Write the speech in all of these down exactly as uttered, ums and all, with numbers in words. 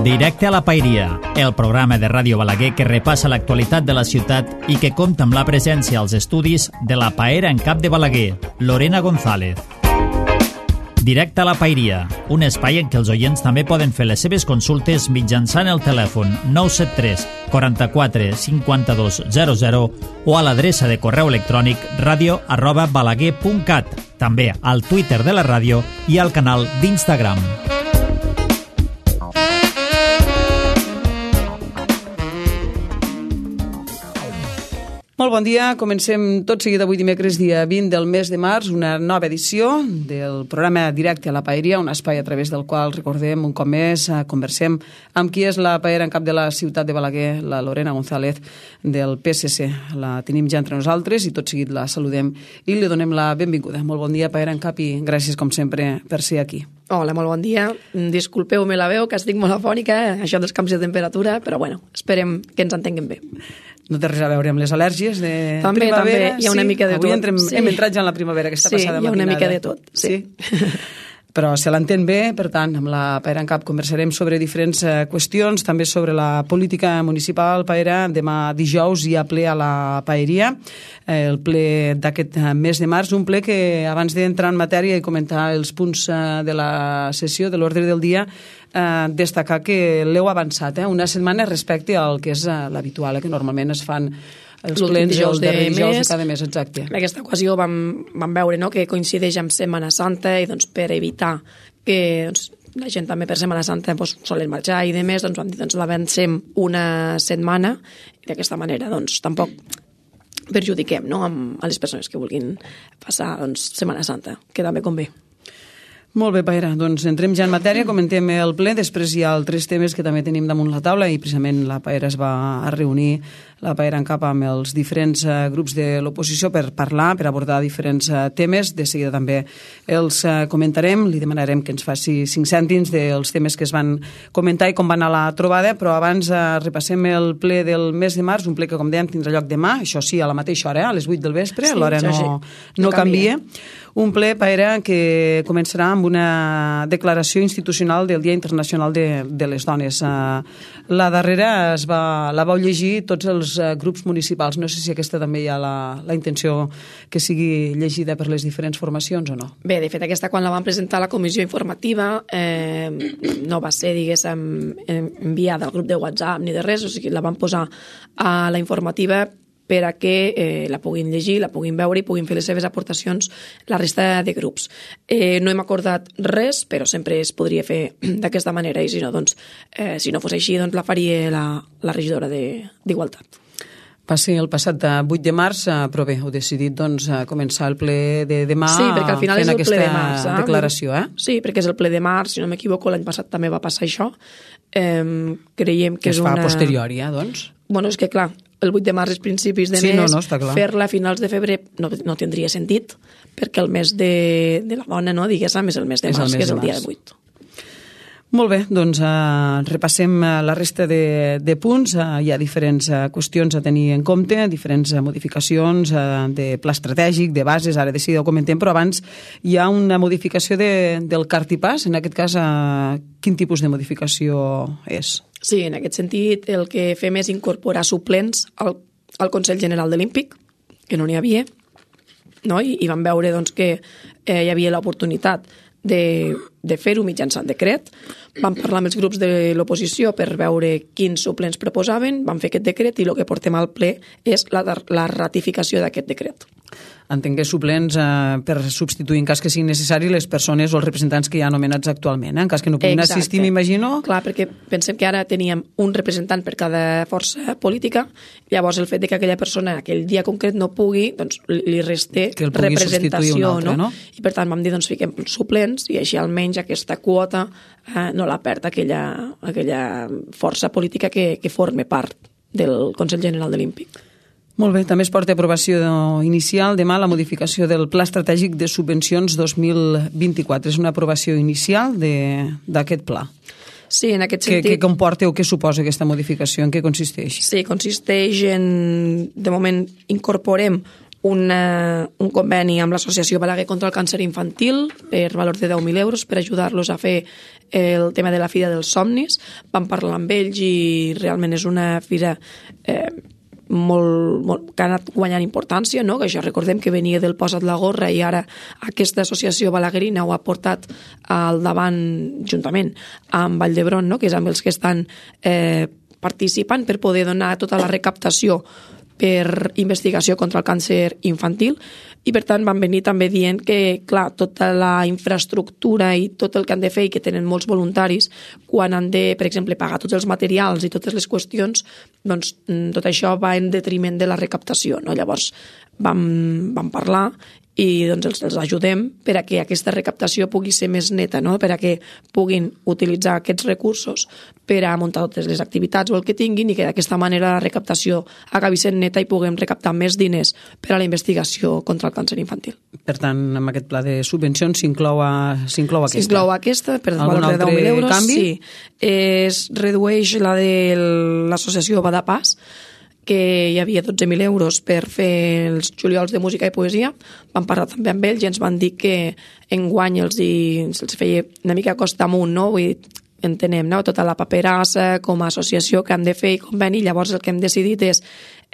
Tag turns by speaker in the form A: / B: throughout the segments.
A: Directe a la Paeria, el programa de Ràdio Balaguer que repassa l'actualitat de la ciutat i que compta amb la presència als estudis de la paera en cap de Balaguer, Lorena González. Directe a la Paeria, un espai en què els oients també poden fer les seves consultes mitjançant el telèfon nou set tres, quaranta-quatre, cinquanta-dos, zero zero o a l'adreça de correu electrònic radio arroba balaguer punt cat, també al Twitter de la ràdio i al canal d'Instagram.
B: Molt bon dia, comencem tot seguit avui dimecres dia vint del mes de març, una nova edició del programa Directe a la Paeria, un espai a través del qual recordem un cop més, conversem amb qui és la paera en cap de la ciutat de Balaguer, la Lorena González del P S C. La tenim ja entre nosaltres i tot seguit la saludem i li donem la benvinguda. Molt bon dia, paera en cap, i gràcies com sempre per ser aquí.
C: Hola, molt bon dia. Disculpeu-me la veu, que estic molt afònica, eh? Això dels canvis de temperatura, però bueno, esperem que ens entenguem bé.
B: No té res a veure amb les al·lèrgies de
C: també,
B: primavera?
C: També, hi ha una
B: sí?
C: mica de tot.
B: Avui entrem, sí. hem entrat ja en la primavera, aquesta
C: sí,
B: passada matinada.
C: Sí, hi ha una mica de tot. Sí.
B: sí? Però se l'entén bé, per tant, amb la Paera en Cap conversarem sobre diferents eh, qüestions, també sobre la política municipal. Paera, demà dijous hi ha ple a la Paeria, eh, el ple d'aquest mes de març, un ple que abans d'entrar en matèria i comentar els punts eh, de la sessió, de l'ordre del dia, eh, destacar que l'heu avançat eh, una setmana respecte al que és eh, l'habitual, eh, que normalment es fan els plens dijous de dijous de cada mes, exacte.
C: En aquesta ocasió vam, vam veure no, que coincideix amb Setmana Santa i doncs, per evitar que doncs, la gent també per Setmana Santa doncs, solen marxar i demés, doncs vam dir doncs, l'avancem una setmana i d'aquesta manera doncs, tampoc perjudiquem no, amb, a les persones que vulguin passar doncs, Setmana Santa, que també convé.
B: Molt bé, Paera, doncs entrem ja en matèria, comentem el ple, després hi ha altres temes que també tenim damunt la taula i precisament la Paera es va a reunir, la Paera en Cap, amb els diferents uh, grups de l'oposició per parlar, per abordar diferents uh, temes. De seguida també els uh, comentarem, li demanarem que ens faci cinc cèntims dels temes que es van comentar i com va anar la trobada, però abans uh, repassem el ple del mes de març, un ple que, com dèiem, tindrà lloc demà, això sí, a la mateixa hora, eh, a les vuit del vespre, sí, l'hora no, sí. no, no canvia. canvia. Un ple, Paera, que començarà amb una declaració institucional del Dia Internacional de, de les Dones. Uh, la darrera es va, la vau llegir tots els uh, grups municipals. No sé si aquesta també hi ha la, la intenció que sigui llegida per les diferents formacions o no.
C: Bé, de fet, aquesta quan la van presentar a la comissió informativa eh, no va ser, diguéssim, enviada al grup de WhatsApp ni de res, o sigui, la van posar a la informativa per a que eh, la puguin llegir, la puguin veure i puguin fer les seves aportacions la resta de grups. Eh, no hem acordat res, però sempre es podria fer d'aquesta manera i si no, doncs, eh, si no fos així, doncs la faria la, la regidora d'Igualtat.
B: Va ser el passat vuit de març, però bé, heu decidit doncs, començar el ple de demà
C: sí, perquè al final
B: fent
C: és el
B: aquesta
C: ple de març, eh?
B: declaració. Eh?
C: Sí, perquè és el ple de març, si no m'equivoco, l'any passat també va passar això. Eh, creiem que, que
B: es
C: és
B: fa
C: una...
B: a posteriori, eh, doncs?
C: Bueno, és que clar, el vuit de març és principis de
B: sí,
C: mes,
B: no, no,
C: fer-la a finals de febrer no, no tindria sentit, perquè el mes de, de la dona, no, diguéssim, és el mes de març, que és el dia de vuit.
B: Molt bé, doncs uh, repassem uh, la resta de, de punts. Uh, hi ha diferents uh, qüestions a tenir en compte, diferents uh, modificacions uh, de pla estratègic, de bases, ara de seguida ho comentem, però abans hi ha una modificació de, del cartipàs. En aquest cas, uh, quin tipus de modificació és?
C: Sí, en aquest sentit, el que fem és incorporar suplents al, al Consell General de l'Olímpic, que no n'hi havia, no? I, i vam veure doncs, que eh, hi havia l'oportunitat de, de fer-ho mitjançant decret. Vam parlar amb els grups de l'oposició per veure quins suplents proposaven, vam fer aquest decret i el que portem al ple és la, la ratificació d'aquest decret.
B: Entenc que suplents eh, per substituir en cas que sigui necessari les persones o els representants que hi ha anomenats actualment, eh? En cas que no puguin
C: Exacte.
B: assistir, m'imagino.
C: Clar, perquè pensem que ara teníem un representant per cada força política, llavors el fet de que aquella persona aquell dia concret no pugui, doncs li resté representació, altre, no? no? I per tant vam dir, doncs fiquem suplents i així almenys aquesta quota eh, no la perd aquella, aquella força política que, que forme part del Consell General de l'Olímpic.
B: Molt bé, també es porta a aprovació inicial demà la modificació del Pla Estratègic de Subvencions dos mil vint-i-quatre. És una aprovació inicial d'aquest pla.
C: Sí, en aquest sentit...
B: Què, què comporta o què suposa aquesta modificació? En què consisteix?
C: Sí, consisteix en... De moment incorporem una, un conveni amb l'Associació Balaguer contra el Càncer Infantil per valor de deu mil euros per ajudar-los a fer el tema de la Fira dels Somnis. Vam parlar amb ells i realment és una fira eh, molt, molt, que ha anat guanyant importància, no? Que això recordem que venia del Posa't la gorra i ara aquesta associació balaguerina ho ha portat al davant juntament amb Vall d'Hebron, no? Que és amb els que estan eh, participant per poder donar tota la recaptació per investigació contra el càncer infantil i per tant van venir també dient que clar, tota la infraestructura i tot el que han de fer i que tenen molts voluntaris quan han de, per exemple, pagar tots els materials i totes les qüestions, doncs tot això va en detriment de la recaptació, no? Llavors vam, vam parlar i doncs els, els ajudem per a que aquesta recaptació pugui ser més neta, no? Per a que puguin utilitzar aquests recursos per a muntar totes les activitats o el que tinguin i que d'aquesta manera la recaptació acabi sent neta i puguem recaptar més diners per a la investigació contra el càncer infantil.
B: Per tant, amb aquest pla de subvencions s'inclou aquesta?
C: S'inclou aquesta per valor de deu mil euros.
B: Canvi?
C: Sí. Es redueix la de l'associació Badapàs, que hi havia dotze mil euros per fer els juliols de música i poesia. Vam parlar també amb ells i ens van dir que enguany els, hi, els feia una mica costa amunt, no? Vull dir, entenem, no? Tota la paperassa com a associació que han de fer i conveni, llavors el que hem decidit és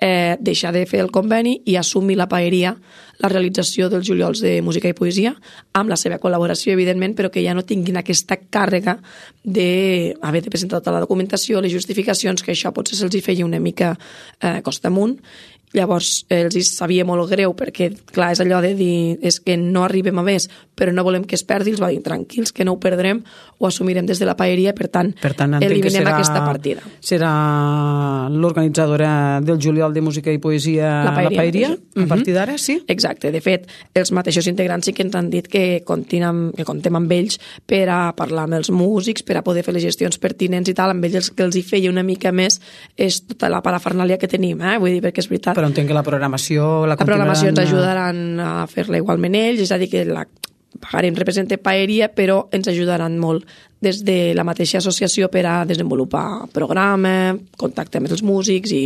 C: eh, deixar de fer el conveni i assumir la paeria, la realització dels juliols de música i poesia, amb la seva col·laboració, evidentment, però que ja no tinguin aquesta càrrega d'haver de presentar tota la documentació, les justificacions, que això potser se'ls hi feia una mica eh, costa amunt. Llavors els hi sabia molt greu perquè, clar, és allò de dir és que no arribem a més, però no volem que es perdi, els va dir tranquils, que no ho perdrem, ho assumirem des de la paeria, per tant,
B: per tant
C: eliminem
B: serà,
C: aquesta partida.
B: Serà l'organitzadora del juliol de música i poesia
C: la paeria,
B: la paeria
C: uh-huh.
B: a partir d'ara, sí?
C: Exacte, de fet, els mateixos integrants sí que ens han dit que, continem, que contem amb ells per a parlar amb els músics, per a poder fer les gestions pertinents i tal, amb ells que els hi feia una mica més és tota la parafernàlia que tenim, eh? Vull dir, perquè és veritat.
B: Però entenc que la programació la,
C: la programació ens ajudaran a fer-la igualment ells, és a dir, que la pagarem represente paeria, però ens ajudaran molt des de la mateixa associació per a desenvolupar programa, contacte amb els músics i,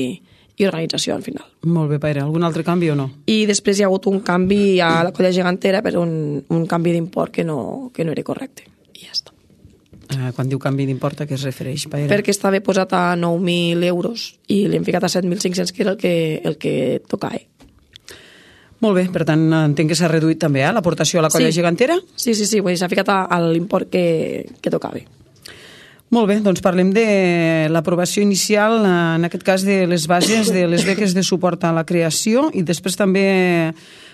C: i organització al final.
B: Molt bé, Paire. Algun altre canvi o no?
C: I després hi ha hagut un canvi a la colla gegantera per un, un canvi d'import que no, que no era correcte. I ja està.
B: Uh, quan diu canvi d'import, a què es refereix, Paire?
C: Perquè estava posat a nou mil euros i l'hem ficat a set mil cinc-cents, que era el que, el que tocava.
B: Molt bé, per tant, entenc que s'ha reduït també eh, l'aportació a la colla
C: sí.
B: gegantera?
C: Sí, sí, sí, s'ha ficat a, a l'import que, que tocava.
B: Molt bé, doncs parlem de l'aprovació inicial, en aquest cas de les bases de les beques de suport a la creació i després també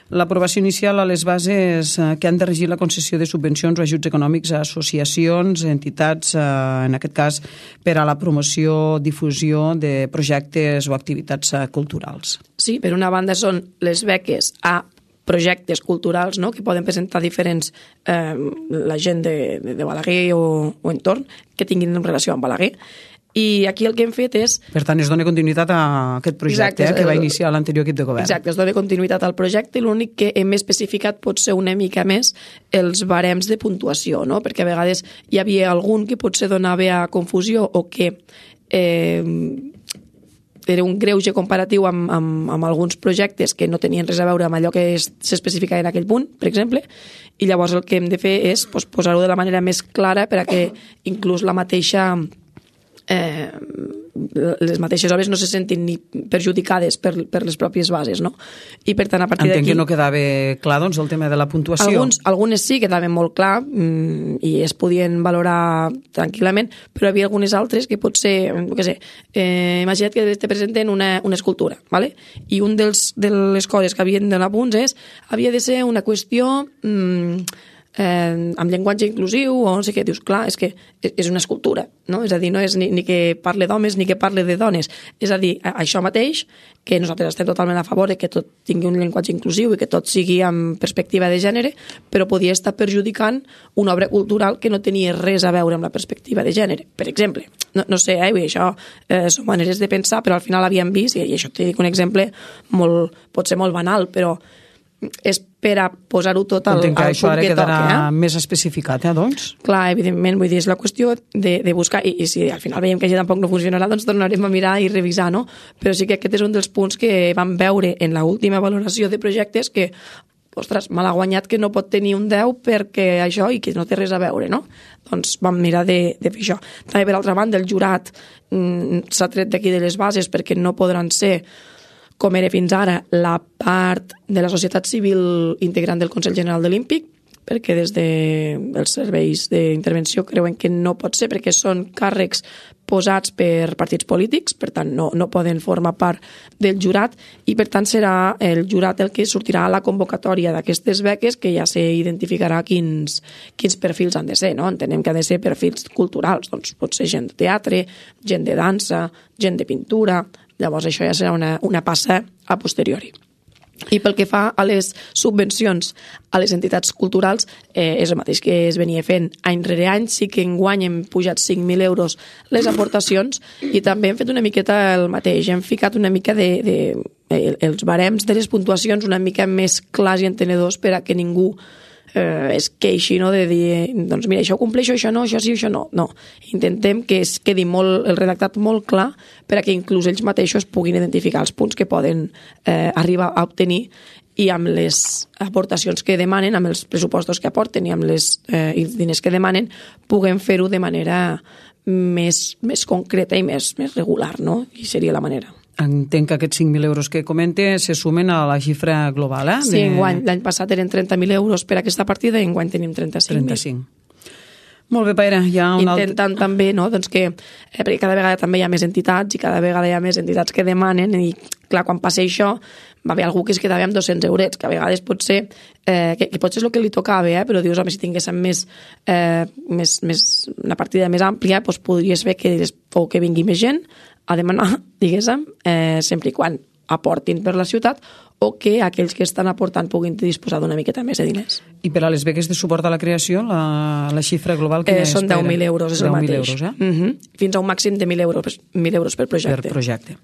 B: l'aprovació inicial a les bases que han de regir la concessió de subvencions o ajuts econòmics a associacions, entitats, en aquest cas per a la promoció, difusió de projectes o activitats culturals.
C: Sí, per una banda són les beques a projectes culturals, no?, que poden presentar diferents eh, la gent de, de Balaguer o, o entorn que tinguin relació amb Balaguer. I aquí el que hem fet és...
B: Per tant, es dona continuïtat a aquest projecte Exacte, eh, que va iniciar l'anterior equip de govern.
C: Exacte, es dona continuïtat al projecte i l'únic que hem especificat pot ser una mica més els barems de puntuació, no? Perquè a vegades hi havia algun que potser donava a confusió o que eh, era un greuge comparatiu amb, amb, amb alguns projectes que no tenien res a veure amb allò que s'especificava en aquell punt, per exemple, i llavors el que hem de fer és pues, posar-ho de la manera més clara per a que inclús la mateixa... Eh, les mateixes obres no se sentin ni perjudicades per, per les pròpies bases, no? I per tant, a partir d'aquí...
B: Entenc que no quedava clar, doncs, el tema de la puntuació.
C: Alguns, algunes sí quedaven molt clar mmm, i es podien valorar tranquil·lament, però hi havia algunes altres que potser, no sé, eh, imagina't que te presenten una, una escultura, ¿vale? I un dels, de les coses que havien de donar punts és, havia de ser una qüestió... Mmm, Eh, amb llenguatge inclusiu o no sé què, dius, clar, és que és una escultura, no? És a dir, no és ni, ni que parle d'homes ni que parle de dones, és a dir, això mateix, que nosaltres estem totalment a favor de que tot tingui un llenguatge inclusiu i que tot sigui amb perspectiva de gènere, però podia estar perjudicant una obra cultural que no tenia res a veure amb la perspectiva de gènere, per exemple. No, no sé, eh, això eh, són maneres de pensar, però al final havíem vist, i això t'he dit un exemple molt, pot ser molt banal, però és per a posar-ho tot al, al punt que
B: això ara quedarà
C: toca. Eh?
B: més especificat, eh, doncs?
C: Clar, evidentment, vull dir, és la qüestió de, de buscar, i, i si al final veiem que ja tampoc no funcionarà, doncs tornarem a mirar i revisar, no? Però sí que aquest és un dels punts que vam veure en l'última valoració de projectes que, ostres, mal ha guanyat que no pot tenir un deu perquè això i que no té res a veure, no? Doncs vam mirar de, de fer això. També, per altra banda, el jurat mm, s'ha tret d'aquí de les bases perquè no podran ser, com era fins ara, la part de la societat civil integrant del Consell General de l'Olímpic, perquè des dels de serveis d'intervenció creuen que no pot ser, perquè són càrrecs posats per partits polítics, per tant no, no poden formar part del jurat, i per tant serà el jurat el que sortirà a la convocatòria d'aquestes beques, que ja s'identificarà quins, quins perfils han de ser, no? Entenem que han de ser perfils culturals, doncs pot ser gent de teatre, gent de dansa, gent de pintura. Llavors això ja serà una, una passa a posteriori. I pel que fa a les subvencions a les entitats culturals, eh, és el mateix que es venia fent any rere any. Sí que enguany hem pujat cinc mil euros les aportacions i també hem fet una miqueta el mateix. Hem ficat una mica de, de els barems de les puntuacions una mica més clars i entenedors per a que ningú eh, es queixi, no? De dir, doncs mira, això ho compleixo, això no, això sí, això no. No, intentem que es quedi molt, el redactat molt clar per a que inclús ells mateixos puguin identificar els punts que poden eh, arribar a obtenir i amb les aportacions que demanen, amb els pressupostos que aporten i amb les eh, els diners que demanen, puguem fer-ho de manera més, més concreta i més, més regular, no? I seria la manera.
B: Entenc que aquests cinc mil euros que comente se sumen a la xifra global, eh?
C: Sí, enguany. L'any passat eren trenta mil euros per aquesta partida i enguany tenim trenta-cinc mil.
B: trenta-cinc. Molt bé, Paira. Hi ha un
C: Intentant
B: alt...
C: també, no?, doncs que, eh, perquè cada vegada també hi ha més entitats i cada vegada hi ha més entitats que demanen i, clar, quan passa això, va haver algú que es quedava amb dos-cents eurets, que a vegades pot ser, eh, que, que potser és el que li tocava, eh, però dius, home, si tinguéssim més, eh, més, més, una partida més àmplia, doncs podries fer que, o que vingui més gent a demanar, diguéssim, eh, sempre i quan aportin per la ciutat o que aquells que estan aportant puguin disposar d'una miqueta més de diners.
B: I per a les beques de suport a la creació, la, la xifra global que
C: eh, són deu mil euros, és el mateix.
B: Euros, eh?
C: uh-huh. Fins a un màxim de mil euros, mil euros per projecte.
B: Per projecte.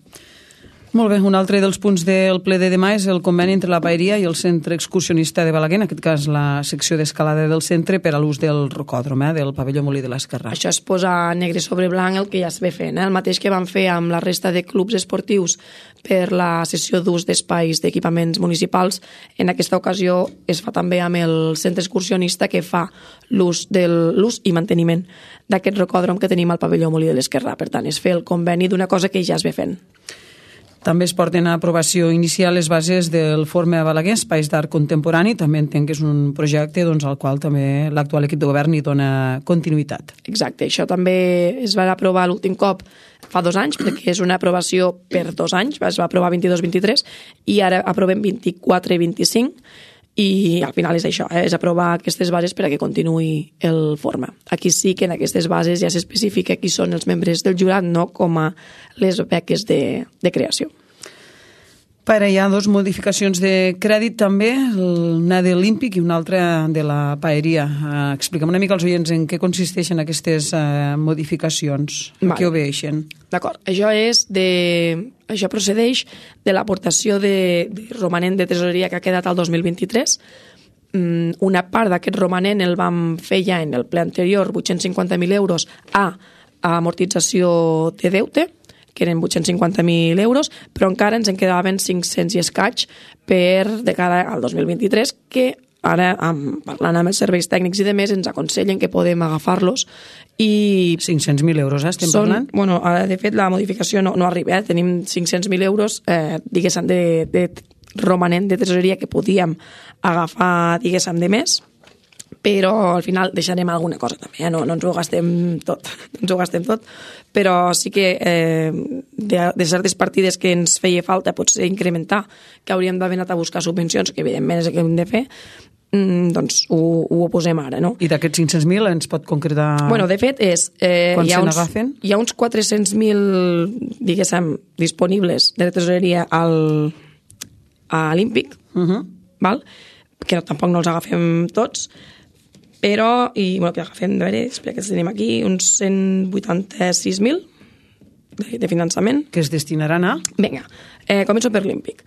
B: Molt bé, un altre dels punts del ple de demà és el conveni entre la Paeria i el Centre Excursionista de Balaguer, en aquest cas la secció d'escalada del centre per a l'ús del rocòdrom, eh, del pavelló Molí de l'Esquerrà.
C: Això es posa negre sobre blanc el que ja es ve fent, eh? El mateix que van fer amb la resta de clubs esportius per la sessió d'ús d'espais d'equipaments municipals. En aquesta ocasió es fa també amb el Centre Excursionista, que fa l'ús del l'ús i manteniment d'aquest rocòdrom que tenim al pavelló Molí de l'Esquerrà. Per tant, es fer el conveni d'una cosa que ja es ve fent.
B: També es porten a aprovació inicial les bases del Forme a Balaguer, Espais d'Art Contemporani. També entenc que és un projecte doncs, al qual també l'actual equip de govern hi dona continuïtat.
C: Exacte, això també es va aprovar l'últim cop fa dos anys, perquè és una aprovació per dos anys, es va aprovar vint-i-dos vint-i-tres, i ara aprovem vint-i-quatre i vint-i-cinc, i al final és això, eh? És aprovar aquestes bases per a que continuï el Forma. Aquí sí que en aquestes bases ja s'especifica qui són els membres del jurat, no com a les beques de, de creació.
B: Per hi ha dues modificacions de crèdit també, una de l'Olímpic i una altra de la Paeria. Uh, explica'm una mica als oients en què consisteixen aquestes uh, modificacions, en què obeixen.
C: D'acord, això és de... Això procedeix de l'aportació de, de romanent de tresoreria que ha quedat al dos mil vint-i-tres. Mm, una part d'aquest romanent el vam fer ja en el ple anterior, vuit-cents cinquanta mil euros a, a amortització de deute, que eren vuit-cents cinquanta mil euros, però encara ens en quedaven cinc-cents i escaig per de cara al dos mil vint-i-tres, que ara, amb, parlant amb els serveis tècnics i demés, ens aconsellen que podem agafar-los. I
B: cinc-cents mil euros, eh, estem
C: són,
B: parlant?
C: Bueno, ara, de fet, la modificació no, no arriba, eh? Tenim cinc-cents mil euros, eh, diguéssim, de, de romanent de tresoreria que podíem agafar, diguéssim, de més, però al final deixarem alguna cosa també, eh? no, no ens ho gastem tot, no ens ho gastem tot, però sí que eh, de, de certes partides que ens feia falta potser incrementar, que hauríem d'haver anat a buscar subvencions, que evidentment és el que hem de fer, mm, doncs ho, ho posem ara, no?
B: I d'aquests cinc-cents mil ens pot concretar...
C: Bueno, de fet, és... Eh,
B: quan
C: hi ha
B: se
C: uns,
B: n'agafen?
C: Hi ha uns quatre-cents mil, diguéssim, disponibles de tresoreria al, a l'Olímpic,
B: Uh -huh.
C: val? Que no, tampoc no els agafem tots, però, i bueno, que agafem, a veure, espera que tenim aquí, uns cent vuitanta-sis mil de, de finançament.
B: Que es destinaran a...
C: Vinga, eh, començo per l'Olímpic.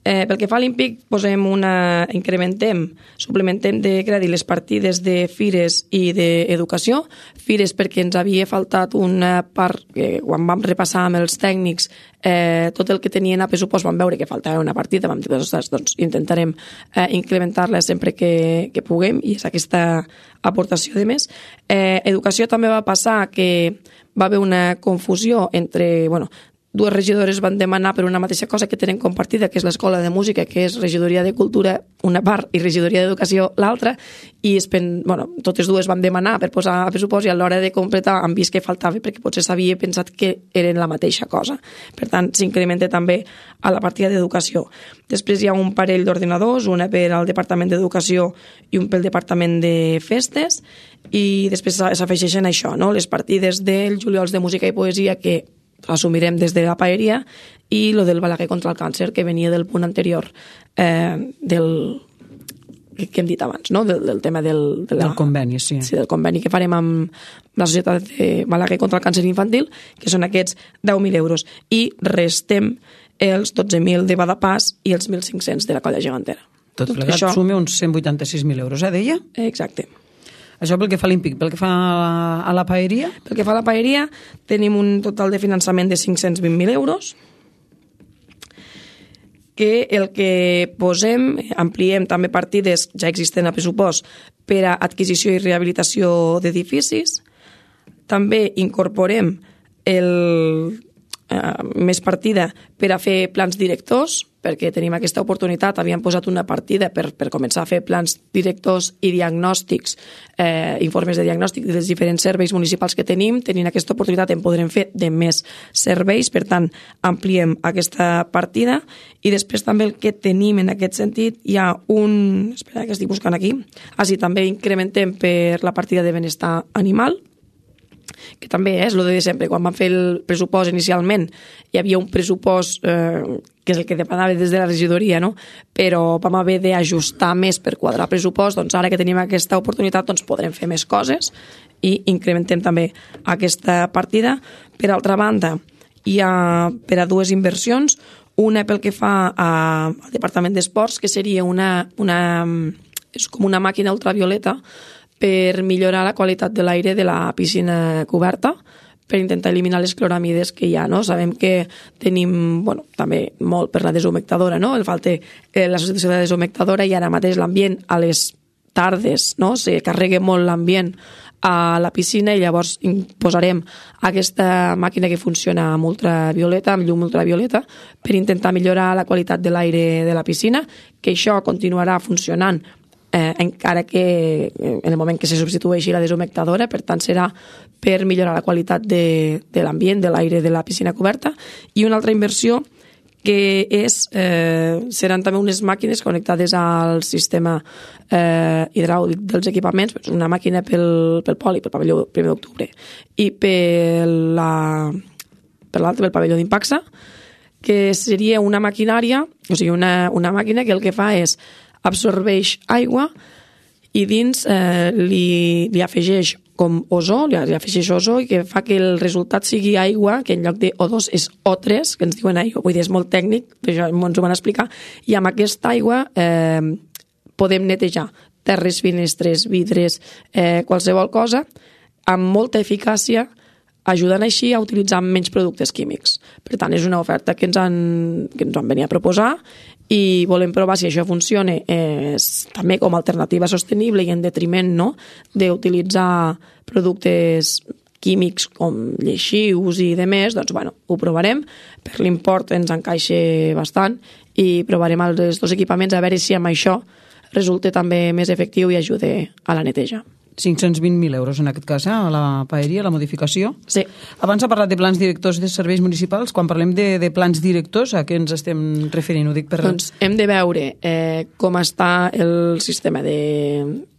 C: Eh, pel que fa a l'Olímpic, posem una, incrementem, suplementem de crèdit les partides de fires i d'educació. Fires perquè ens havia faltat una part, que quan vam repassar amb els tècnics eh, tot el que tenien a pressupost, vam veure que faltava una partida, vam dir, doncs, doncs intentarem eh, incrementar-la sempre que, que puguem, i és aquesta aportació de més. Eh, educació també va passar que va haver una confusió entre, bueno, dues regidores van demanar per una mateixa cosa que tenen compartida, que és l'Escola de Música, que és Regidoria de Cultura una part i Regidoria d'Educació l'altra, i es pen... bueno, totes dues van demanar per posar a pressupost, i a l'hora de completar han vist que faltava perquè potser s'havia pensat que eren la mateixa cosa. Per tant, s'incrementa també a la partida d'Educació. Després hi ha un parell d'ordinadors, una per al Departament d'Educació i un pel Departament de Festes, i després s'afegeixen això, no? Les partides del Juliols de Música i Poesia, que assumirem des de la paeria, i lo del Balaguer contra el càncer, que venia del punt anterior eh, del que hem dit abans, no? del, del tema del, de la,
B: del conveni, sí.
C: sí, del conveni que farem amb la Societat de Balaguer contra el càncer infantil, que són aquests deu mil euros, i restem els dotze mil de Badapàs i els mil cinc-cents de la Colla Gegantera.
B: Tot plegat això suma uns cent vuitanta-sis mil euros, eh, deia?
C: Exacte.
B: Això pel que fa a l'Olímpic. Pel que fa a la paeria?
C: Pel que fa a la paeria, tenim un total de finançament de cinc-cents vint mil euros, que el que posem, ampliem també partides ja existent a pressupost per a adquisició i rehabilitació d'edificis. També incorporem el, eh, més partida per a fer plans directors, perquè tenim aquesta oportunitat. Havíem posat una partida per, per començar a fer plans directors i diagnòstics, eh, informes de diagnòstic dels diferents serveis municipals que tenim. Tenint aquesta oportunitat en podrem fer de més serveis, per tant, ampliem aquesta partida. I després també el que tenim en aquest sentit, hi ha un... Espera, que estic buscant aquí. Ah, sí, també incrementem per la partida de benestar animal, que també és el de sempre. Quan vam fer el pressupost inicialment hi havia un pressupost eh, que és el que demanava des de la regidoria, no? Però vam haver d'ajustar més per quadrar pressupost. Doncs ara que tenim aquesta oportunitat doncs podrem fer més coses i incrementem també aquesta partida. Per altra banda, hi ha per a dues inversions, una pel que fa a, al Departament d'Esports, que seria una, una, és com una màquina ultravioleta per millorar la qualitat de l'aire de la piscina coberta, per intentar eliminar les cloramides que hi ha, no? Sabem que tenim, bueno, també molt per la deshumectadora, no? El falta eh, la substitució de la deshumectadora, i ara mateix l'ambient a les tardes, no? Se carrega molt l'ambient a la piscina, i llavors posarem aquesta màquina que funciona amb ultravioleta, amb llum ultravioleta, per intentar millorar la qualitat de l'aire de la piscina, que això continuarà funcionant Eh, encara que en el moment que se substitueixi la deshumectadora, per tant serà per millorar la qualitat de, de l'ambient, de l'aire de la piscina coberta. I una altra inversió que és, eh, seran també unes màquines connectades al sistema eh, hidràulic dels equipaments, una màquina pel, pel poli, pel pavelló primer d'octubre, i per la, per l'altre, pel pavelló d'Impaxa, que seria una maquinària, o sigui, una, una màquina que el que fa és absorbeix aigua i dins eh, li, li afegeix com ozó, li, li afegeix ozó, i que fa que el resultat sigui aigua, que en lloc de O dos és O tres, que ens diuen aigua. Vull dir, és molt tècnic, però ens ho van explicar. I amb aquesta aigua eh, podem netejar terres, finestres, vidres, eh, qualsevol cosa, amb molta eficàcia, ajudant així a utilitzar menys productes químics. Per tant, és una oferta que ens han, que ens han venit a proposar, i volem provar si això funciona eh, també com a alternativa sostenible i en detriment, no?, d'utilitzar productes químics com lleixius i demés. Doncs, bueno, ho provarem. Per l'import ens encaixa bastant i provarem els dos equipaments a veure si amb això resulta també més efectiu i ajuda a la neteja.
B: cinc-cents vint mil euros en aquest cas, eh, a la paeria, la modificació.
C: Sí.
B: Abans ha parlat de plans directors de serveis municipals. Quan parlem de, de plans directors, a què ens estem referint? Ho dic per...
C: Doncs hem de veure eh, com està el sistema de,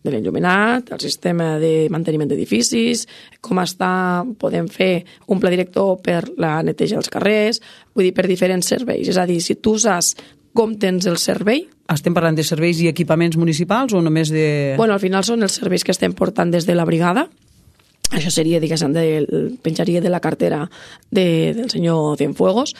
C: de l'enllumenat, el sistema de manteniment d'edificis, com està, podem fer un pla director per la neteja dels carrers, vull dir, per diferents serveis. És a dir, si tu saps com tens el servei...
B: Estem parlant de serveis i equipaments municipals o només de...
C: Bueno, al final són els serveis que estem portant des de la brigada. Això seria, diguéssim, de, penjaria de la cartera de, del senyor Cienfuegos,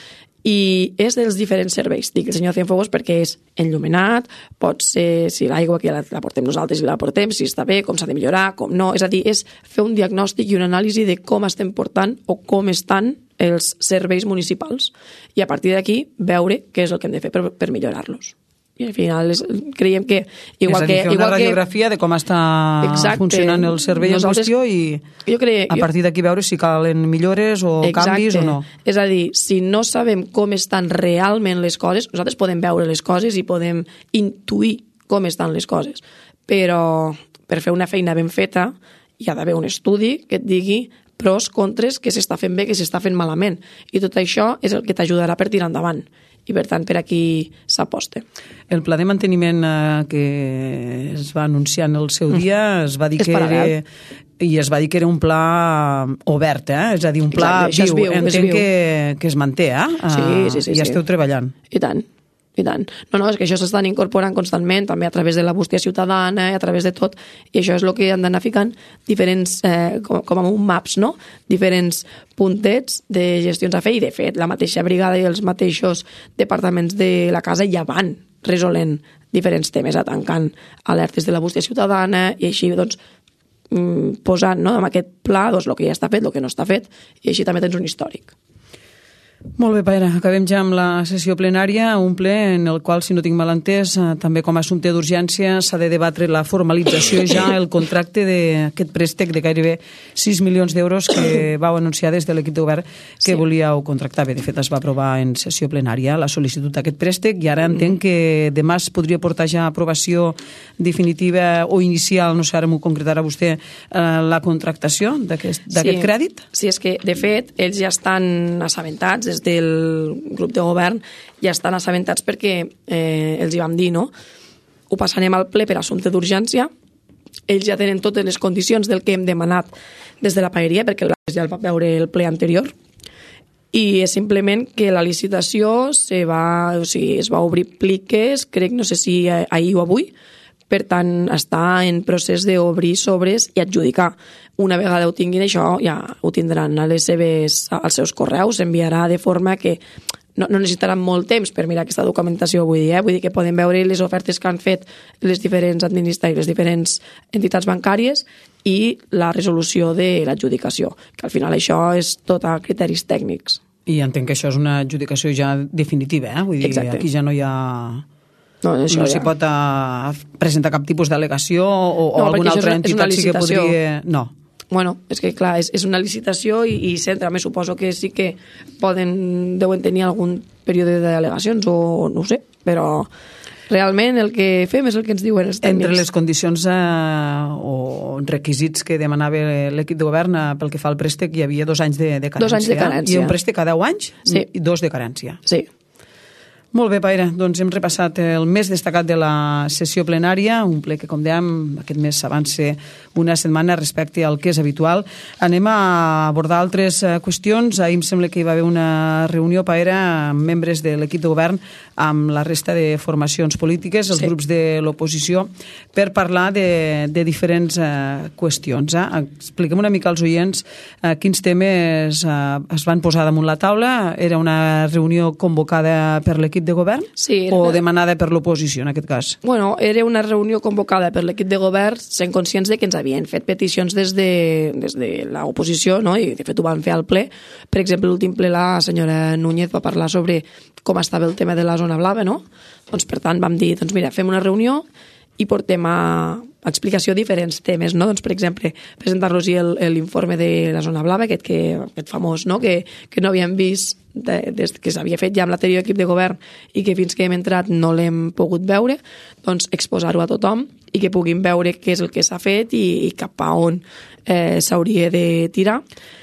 C: i és dels diferents serveis. Dic el senyor Cienfuegos perquè és enllumenat, pot ser si l'aigua que la, la portem nosaltres i la portem, si està bé, com s'ha de millorar, com no. És a dir, és fer un diagnòstic i una anàlisi de com estem portant o com estan els serveis municipals. I a partir d'aquí veure què és el que hem de fer per, per millorar-los. I al final és, creiem que igual
B: és a dir,
C: que,
B: fer una
C: igual
B: radiografia que, de com està exacte, funcionant el servei en qüestió i
C: jo crec,
B: a partir d'aquí veure si calen millores o exacte, canvis o no.
C: És a dir, si no sabem com estan realment les coses, nosaltres podem veure les coses i podem intuir com estan les coses, però per fer una feina ben feta hi ha d'haver un estudi que et digui pros, contres, què s'està fent bé, què s'està fent malament. I tot això és el que t'ajudarà per tirar endavant. I, per tant, per aquí s'aposta.
B: El pla de manteniment eh, que es va anunciar en el seu dia es va dir
C: és
B: que era, i es va dir que era un pla obert, eh? És a dir, un pla
C: exacte,
B: viu.
C: viu.
B: Entenc que, que es manté, eh?
C: Sí, sí, sí.
B: I ja
C: sí.
B: esteu treballant.
C: I tant. I tant. No, no, és que això s'estan incorporant constantment, també a través de la bústia ciutadana, a través de tot, i això és el que han d'anar ficant diferents, eh, com, com amb un maps, no? Diferents puntets de gestions a fer, i de fet, la mateixa brigada i els mateixos departaments de la casa ja van resolent diferents temes, tancant alertes de la bústia ciutadana, i així, doncs, posant, no?, amb aquest pla, doncs, el que ja està fet, el que no està fet, i així també tens un històric.
B: Molt bé, Paera, acabem ja amb la sessió plenària, un ple en el qual, si no tinc mal entès, també com a assumpte d'urgència s'ha de debatre la formalització ja, el contracte d'aquest préstec de gairebé sis milions d'euros que vau anunciar des de l'equip de govern que sí. volíeu contractar. Bé, de fet, es va aprovar en sessió plenària la sol·licitud d'aquest préstec i ara entenc que demà es podria portar ja a aprovació definitiva o inicial, no sé, ara m'ho concretarà vostè, la contractació d'aquest sí. crèdit?
C: Sí, és que, de fet, ells ja estan assabentats, des del grup de govern ja estan assabentats perquè eh, els hi vam dir, no? Ho passarem al ple per assumpte d'urgència, ells ja tenen totes les condicions del que hem demanat des de la paeria, perquè ja el va veure el ple anterior, i és simplement que la licitació se va, o sigui, es va obrir pliques, crec, no sé si ahir o avui, per tant, està en procés d'obrir sobres i adjudicar. Una vegada ho tinguin, això ja ho tindran a les seves, als seus correus, s'enviarà de forma que no, no necessitaran molt temps per mirar aquesta documentació, vull dir, eh? Vull dir que poden veure les ofertes que han fet les diferents administracions, les diferents entitats bancàries i la resolució de l'adjudicació, que al final això és tot a criteris tècnics.
B: I entenc que això és una adjudicació ja definitiva, eh? Vull dir,
C: exacte.
B: Aquí ja no hi ha... No, no
C: ja.
B: s'hi pot uh, presentar cap tipus d'al·legació o, o
C: no,
B: alguna altra
C: és,
B: entitat
C: és
B: sí que podria... No.
C: Bueno, és que clar, és, és una licitació i, i centra, me suposo que sí que poden, deuen tenir algun període d'al·legacions o no ho sé, però realment el que fem és el que ens diuen els tècnics.
B: Entre les condicions eh, o requisits que demanava l'equip de govern eh, pel que fa al préstec hi havia dos anys de, de carència.
C: Dos anys de carència.
B: I un préstec a deu anys
C: sí.
B: i dos de carència.
C: Sí.
B: Molt bé, Paera, doncs hem repassat el més destacat de la sessió plenària, un ple que, com dèiem, aquest mes s'avança una setmana respecte al que és habitual. Anem a abordar altres qüestions. Ahir em sembla que hi va haver una reunió, Paera, amb membres de l'equip de govern, amb la resta de formacions polítiques, els sí. grups de l'oposició, per parlar de, de diferents uh, qüestions. Eh? Expliquem una mica als oients uh, quins temes uh, es van posar damunt la taula. Era una reunió convocada per l'equip de govern
C: sí,
B: o
C: una...
B: demanada per l'oposició, en aquest cas?
C: Bueno, era una reunió convocada per l'equip de govern sent conscients de que ens havien fet peticions des de, des de l'oposició, no? I de fet ho van fer al ple. Per exemple, l'últim ple la senyora Núñez va parlar sobre com estava el tema de la zona blava, no? Doncs per tant vam dir, doncs mira, fem una reunió i portem a explicació diferents temes, no? Doncs, per exemple, presentar-los l'informe de la zona blava, aquest, que, aquest famós, no? Que, que no havíem vist de, des que s'havia fet ja amb l'anterior equip de govern i que fins que hem entrat no l'hem pogut veure, doncs exposar-ho a tothom i que puguin veure què és el que s'ha fet i, i cap a on eh, s'hauria de tirar.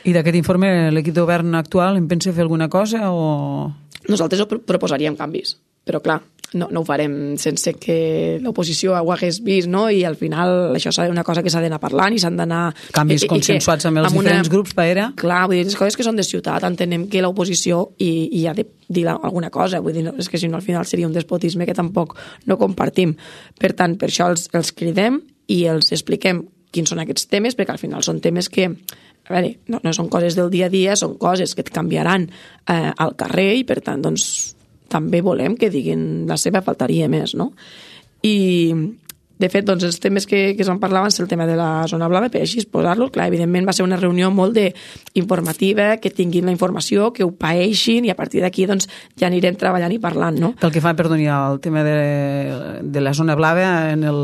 B: I d'aquest informe l'equip de govern actual en pensa fer alguna cosa o...?
C: Nosaltres ho proposaríem canvis, però clar, no, no ho farem sense que l'oposició ho hagués vist, no? I al final això és una cosa que s'ha d'anar parlant i s'han d'anar...
B: Canvis consensuats amb els amb diferents una... grups, Paera?
C: Clar, vull dir, les coses que són de ciutat, entenem que l'oposició hi, hi ha de dir alguna cosa, vull dir, és que si no al final seria un despotisme que tampoc no compartim. Per tant, per això els, els cridem i els expliquem quins són aquests temes, perquè al final són temes que a veure, no, no són coses del dia a dia, són coses que et canviaran eh, al carrer i, per tant, doncs, també volem que diguin la seva, faltaria més, no? I, de fet, doncs, els temes que, que es van parlar van ser el tema de la zona blava, per així posar-lo. Clar, evidentment va ser una reunió molt de informativa, que tinguin la informació, que ho paeixin, i a partir d'aquí doncs, ja anirem treballant i parlant, no?
B: Pel que fa, perdoni, al tema de, de la zona blava, en el,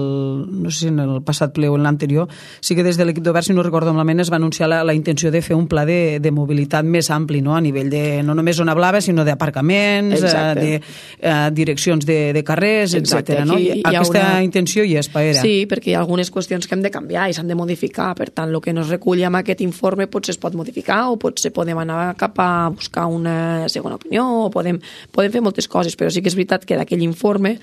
B: no sé si en el passat ple o en l'anterior, sí que des de l'equip d'Obert, si no recordo malament, es va anunciar la, la intenció de fer un pla de, de mobilitat més ampli, no? A nivell de, no només zona blava, sinó d'aparcaments, eh, de eh, direccions de, de carrers, etcètera. No? I, aquesta una... intenció hi és, Paera.
C: Sí, perquè hi ha algunes qüestions que hem de canviar i s'han de modificar. Per tant, el que no es reculli amb aquest informe potser es pot modificar o potser podem anar cap a buscar una segona opinió o podem, podem fer moltes coses, però sí que és veritat que d'aquell informe,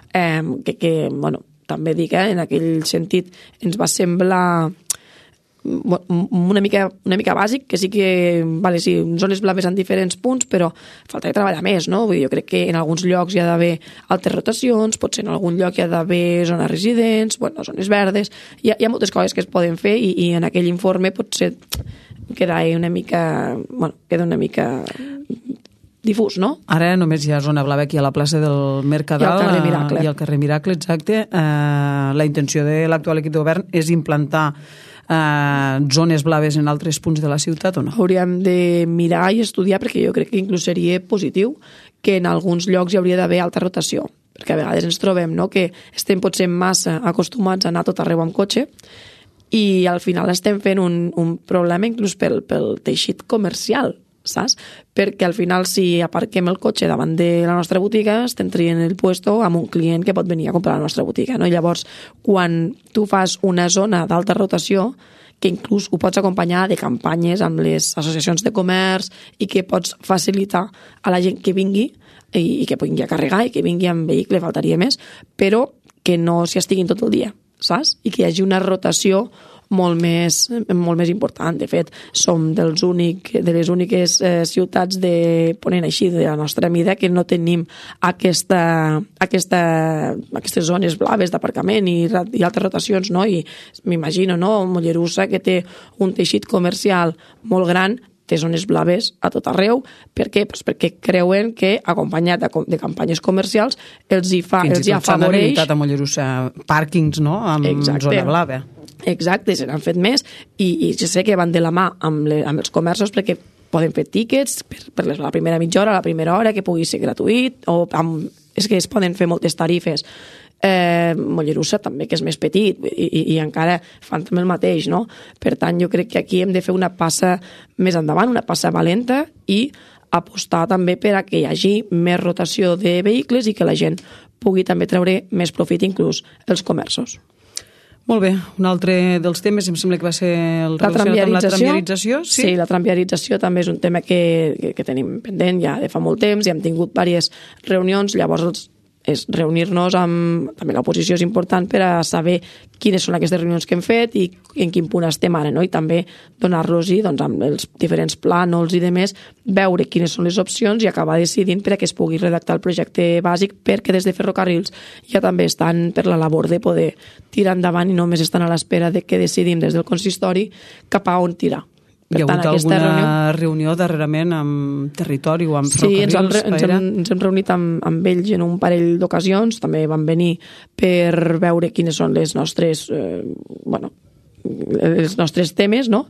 C: eh, que, que bueno, també dic, eh, en aquell sentit ens va semblar una mica, una mica bàsic, que sí que, vale, sí, zones blaves en diferents punts, però falta de treballar més, no? Vull dir, jo crec que en alguns llocs hi ha d'haver altres rotacions, potser en algun lloc hi ha d'haver zones residents, bueno, zones verdes, hi ha, hi ha moltes coses que es poden fer i, i en aquell informe potser queda una mica, bueno, queda una mica difús, no?
B: Ara només hi ha zona blava aquí a la plaça del Mercadal
C: i al carrer Miracle,
B: i al carrer Miracle, exacte. Eh, la intenció de l'actual equip de govern és implantar eh, zones blaves en altres punts de la ciutat o no?
C: Hauríem de mirar i estudiar, perquè jo crec que inclús seria positiu que en alguns llocs hi hauria d'haver alta rotació, perquè a vegades ens trobem, no?, que estem potser massa acostumats a anar tot arreu amb cotxe i al final estem fent un, un problema inclús pel, pel teixit comercial, saps? Perquè al final si aparquem el cotxe davant de la nostra botiga estem traient el puesto amb un client que pot venir a comprar a la nostra botiga, no? I llavors, quan tu fas una zona d'alta rotació, que inclús ho pots acompanyar de campanyes amb les associacions de comerç i que pots facilitar a la gent que vingui i, i que vingui a carregar i que vingui amb vehicle, faltaria més, però que no s'hi estiguin tot el dia, saps? I que hi hagi una rotació molt més, molt més important. De fet, som dels únic, de les úniques eh, ciutats de Ponent, així, de la nostra mida, que no tenim aquesta, aquesta, aquestes zones blaves d'aparcament i, i altres rotacions, no? I m'imagino, no?, Mollerussa, que té un teixit comercial molt gran, té zones blaves a tot arreu. Per què? Pues perquè creuen que, acompanyat de, de campanyes comercials, els hi, fa, els hi afavoreix... Fins i tot s'han
B: habilitat a Mollerussa pàrquings, no?, amb Exacte. Zona blava.
C: Exacte, se n'han fet més i, i jo sé que van de la mà amb, le, amb els comerços perquè poden fer tíquets per, per la primera mitja hora, la primera hora, que pugui ser gratuït, o amb, és que es poden fer moltes tarifes. Eh, Mollerussa també, que és més petit i, i, i encara fan també el mateix, no? Per tant, jo crec que aquí hem de fer una passa més endavant, una passa valenta i apostar també per a que hi hagi més rotació de vehicles i que la gent pugui també treure més profit, inclús els comerços.
B: Molt bé, un altre dels temes em sembla que va ser el relacionat amb la tramviarització. Sí?
C: Sí, la tramviarització també és un tema que, que, que tenim pendent ja de fa molt temps i hem tingut diverses reunions, llavors és reunir-nos amb... També l'oposició és important per a saber quines són aquestes reunions que hem fet i en quin punt estem ara, no? I també donar-los-hi, doncs, amb els diferents plànols i demés, veure quines són les opcions i acabar decidint per a que es pugui redactar el projecte bàsic, perquè des de Ferrocarrils ja també estan per la labor de poder tirar endavant i només estan a l'espera de que decidim des del consistori cap a on tirar.
B: Per Hi ha hagut tant, alguna reunió... reunió darrerament amb territori o amb
C: Ferrocarrils? Sí, ens, hem, ens, hem, ens hem reunit amb, amb ells en un parell d'ocasions, també van venir per veure quines són les nostres, eh, bueno, els nostres temes, no?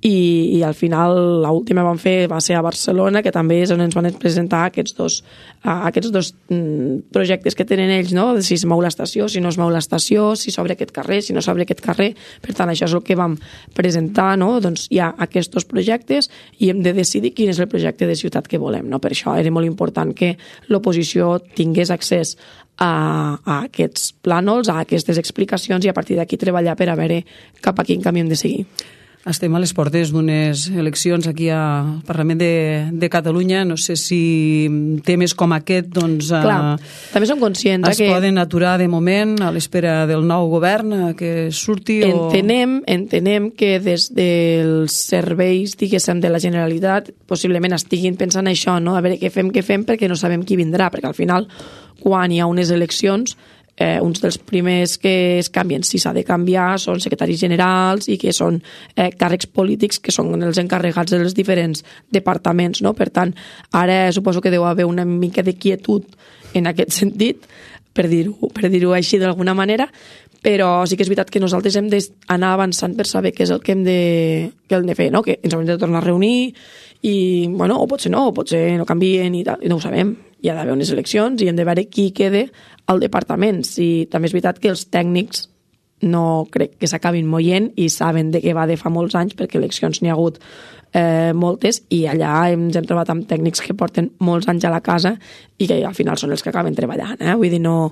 C: I, i al final l'última vam fer va ser a Barcelona, que també és on ens van presentar aquests dos, uh, aquests dos mm, projectes que tenen ells, no? Si es mou l'estació, si no es mou l'estació, si s'obre aquest carrer, si no s'obre aquest carrer. Per tant, això és el que vam presentar, no? Doncs hi ha aquests dos projectes i hem de decidir quin és el projecte de ciutat que volem, no? Per això era molt important que l'oposició tingués accés a, a aquests plànols, a aquestes explicacions i a partir d'aquí treballar per a veure cap a quin camí hem de seguir.
B: Estem a les portes d'unes eleccions aquí al Parlament de, de Catalunya. No sé si temes com aquest doncs,
C: Clar, eh, també som conscients
B: es
C: que
B: poden aturar de moment a l'espera del nou govern que surti.
C: Entenem, o... entenem que des dels serveis, diguéssim, de la Generalitat possiblement estiguin pensant això, no? A veure què fem, què fem, perquè no sabem qui vindrà, perquè al final, quan hi ha unes eleccions, eh, uns dels primers que es canvien, si s'ha de canviar, són secretaris generals i que són eh, càrrecs polítics que són els encarregats dels diferents departaments, no? Per tant, ara suposo que deu haver una mica de quietud en aquest sentit, per dir-ho per dir-ho així d'alguna manera, però sí que és veritat que nosaltres hem d'anar avançant per saber què és el que hem de, que hem de fer, no? Que ens hem de tornar a reunir i, bueno, o potser no, o potser no canvien i tal, i no ho sabem. Hi ha d'haver unes eleccions i hem de veure qui quede al departament. Si també és veritat que els tècnics no crec que s'acabin moient i saben de què va de fa molts anys, perquè eleccions n'hi ha hagut eh, moltes, i allà ens hem trobat amb tècnics que porten molts anys a la casa i que al final són els que acaben treballant. Eh? Vull dir, no,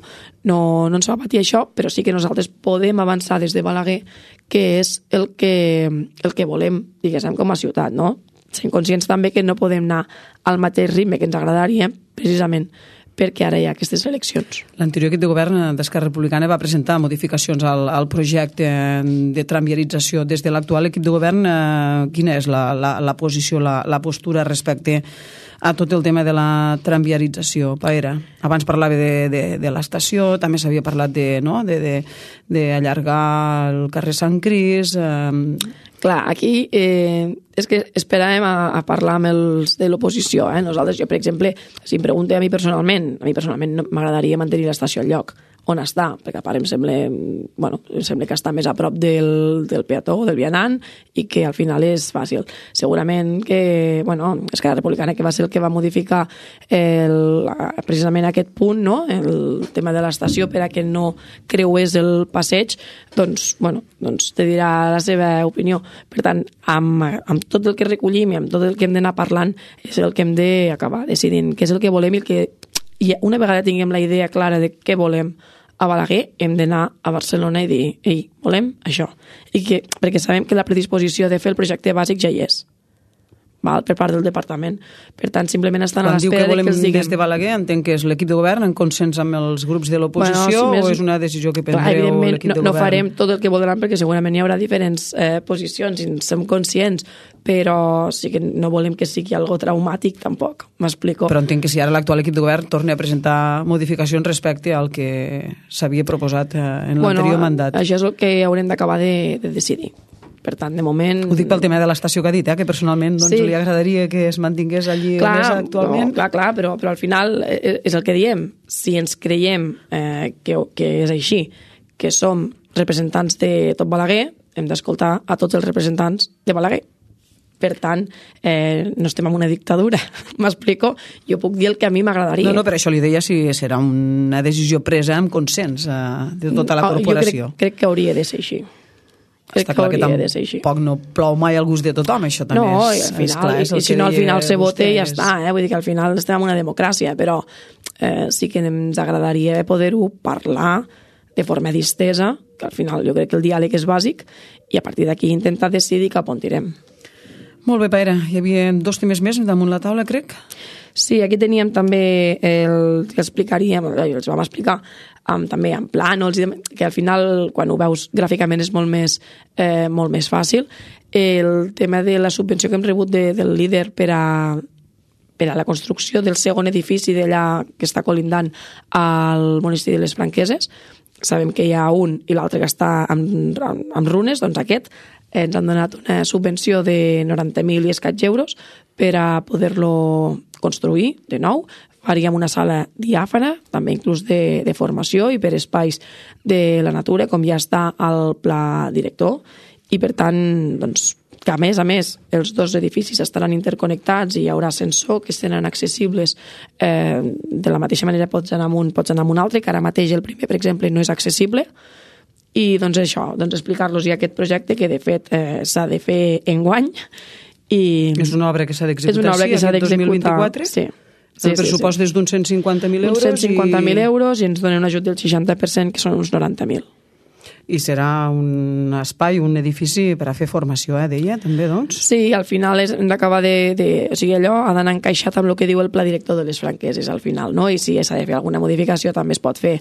C: no, no ens va patir això, però sí que nosaltres podem avançar des de Balaguer, que és el que, el que volem, diguéssim, com a ciutat, no? Sent conscients també que no podem anar al mateix ritme que ens agradaria, precisament perquè ara hi ha aquestes eleccions.
B: L'anterior equip de govern d'Esquerra Republicana va presentar modificacions al, al projecte de tramviarització. Des de l'actual equip de govern, eh, quina és la, la, la posició, la, la postura respecte a tot el tema de la tramviarització, Paera? Abans parlava de, de, de l'estació, també s'havia parlat de, no? de, de, de allargar el carrer Sant Cris. Eh...
C: Clar, aquí eh, és que esperàvem a, a parlar amb els de l'oposició. Eh? Nosaltres, jo, per exemple, si em pregunte a mi personalment, a mi personalment m'agradaria mantenir l'estació al lloc on està, perquè a part em sembla, bueno, em sembla que està més a prop del, del peató, del vianant, i que al final és fàcil. Segurament que, bueno, Esquerra Republicana, que va ser el que va modificar el, precisament aquest punt, no? El tema de l'estació per a que no creués el passeig, doncs, bueno, doncs te dirà la seva opinió. Per tant, amb, amb tot el que recollim i amb tot el que hem d'anar parlant és el que hem d'acabar decidint què és el que volem i el que, i una vegada tinguem la idea clara de què volem a Balaguer, hem d'anar a Barcelona i dir, ei, volem això. I que, perquè sabem que la predisposició de fer el projecte bàsic ja hi és, val? Per part del departament. Per tant, simplement estan
B: Quan
C: a l'espera
B: que
C: de que els diguem.
B: Des de Balaguer, entenc que és l'equip de govern en consens amb els grups de l'oposició, bueno, si o és una decisió que prendreu l'equip de
C: no,
B: govern?
C: No farem tot el que voldran, perquè segurament hi haurà diferents eh, posicions i en som conscients, però sí que no volem que sigui algo traumàtic tampoc, m'explico.
B: Però entenc que si ara l'actual equip de govern torna a presentar modificacions respecte al que s'havia proposat en
C: bueno,
B: l'anterior mandat.
C: Això és el que haurem d'acabar de, de decidir. Per tant, de moment...
B: Ho dic pel tema de l'estació que ha dit, eh? Que personalment doncs, sí. li agradaria que es mantingués allí
C: clar,
B: on és actualment.
C: No, clar, clar, però, però al final és el que diem. Si ens creiem eh, que, que és així, que som representants de tot Balaguer, hem d'escoltar a tots els representants de Balaguer. Per tant, eh, no estem en una dictadura, m'explico? Jo puc dir el que a mi m'agradaria.
B: No, no, per això li deia si serà una decisió presa amb consens eh, de tota la corporació.
C: Jo crec, crec que hauria de ser així.
B: Està clar que tampoc no plou mai al gust de tothom, això també
C: no,
B: és,
C: i al final,
B: és clar. És
C: i, i si no al final se vote i ja
B: és...
C: està, eh? Vull dir que al final estem en una democràcia, però eh, sí que ens agradaria poder-ho parlar de forma distesa, que al final jo crec que el diàleg és bàsic, i a partir d'aquí intentar decidir cap on tirem.
B: Molt bé, Paera. Hi havia dos temes més damunt la taula, crec?
C: Sí, aquí teníem també el que explicaríem, els vam explicar um, també en plànols, que al final, quan ho veus gràficament, és molt més, eh, molt més fàcil. El tema de la subvenció que hem rebut de, del líder per a, per a la construcció del segon edifici d'allà que està colindant al monestir de les Franqueses. Sabem que hi ha un i l'altre que està amb, amb runes, doncs aquest ens han donat una subvenció de noranta mil i escaig euros per a poder-lo construir de nou. Faríem una sala diàfana, també inclús de, de formació i per espais de la natura, com ja està al pla director. I per tant, doncs, que a més a més els dos edificis estaran interconnectats i hi haurà ascensor que seran accessibles eh, de la mateixa manera pots anar amb un, pots anar amb un altre, que ara mateix el primer, per exemple, no és accessible. I doncs això, doncs explicar-los ja aquest projecte que de fet eh, s'ha de fer enguany. I
B: és una obra que s'ha d'executar,
C: és una obra que s'ha
B: dos mil vint-i-quatre?
C: Sí.
B: El pressupost és d'uns cent cinquanta mil euros.
C: Uns cent cinquanta mil euros i ens donen un ajut del seixanta per cent, que són uns noranta mil.
B: I serà un espai, un edifici per a fer formació, eh, deia, també, doncs?
C: Sí, al final és, hem d'acabar de, de... O sigui, allò ha d'anar encaixat amb el que diu el pla director de les Franqueses, al final, no? I si s'ha de fer alguna modificació també es pot fer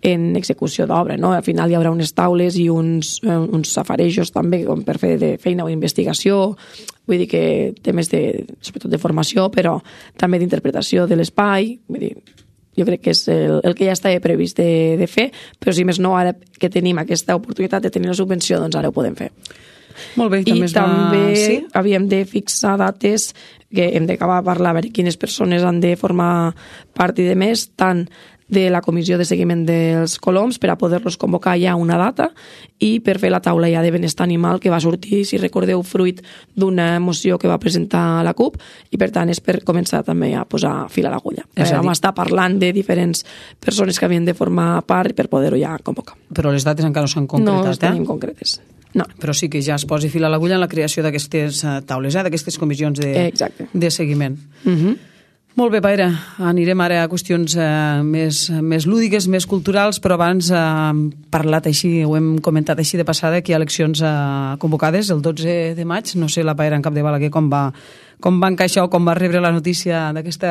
C: en execució d'obra, no? Al final hi haurà unes taules i uns, uns safarejos també com per fer de feina o investigació, vull dir que temes de, sobretot de formació, però també d'interpretació de l'espai, vull dir, jo crec que és el, el que ja estava previst de, de fer, però si més no, ara que tenim aquesta oportunitat de tenir la subvenció, doncs ara ho podem fer.
B: Molt bé,
C: i
B: també, es va...
C: també
B: sí?
C: havíem de fixar dates que hem d'acabar a parlar a veure quines persones han de formar part i de més, tant de la comissió de seguiment dels coloms per a poder-los convocar ja una data i per fer la taula ja de benestar animal que va sortir, si recordeu, fruit d'una moció que va presentar la CUP i per tant és per començar també a posar fil a l'agulla. Eh, vam estar parlant de diferents persones que havien de formar part per poder-ho ja convocar.
B: Però les dates encara no s'han concretat,
C: no les tenim
B: eh?
C: concretes. No.
B: Però sí que ja es posi fil a l'agulla en la creació d'aquestes taules, eh? d'aquestes comissions de, de seguiment.
C: Uh-huh.
B: Molt bé, Paira, anirem ara a qüestions eh, més, més lúdiques, més culturals, però abans eh, hem parlat així, ho hem comentat així de passada, que hi ha eleccions eh, convocades el dotze de maig. No sé la Paira en Cap de Balaguer com va, com va encaixar o com va rebre la notícia d'aquest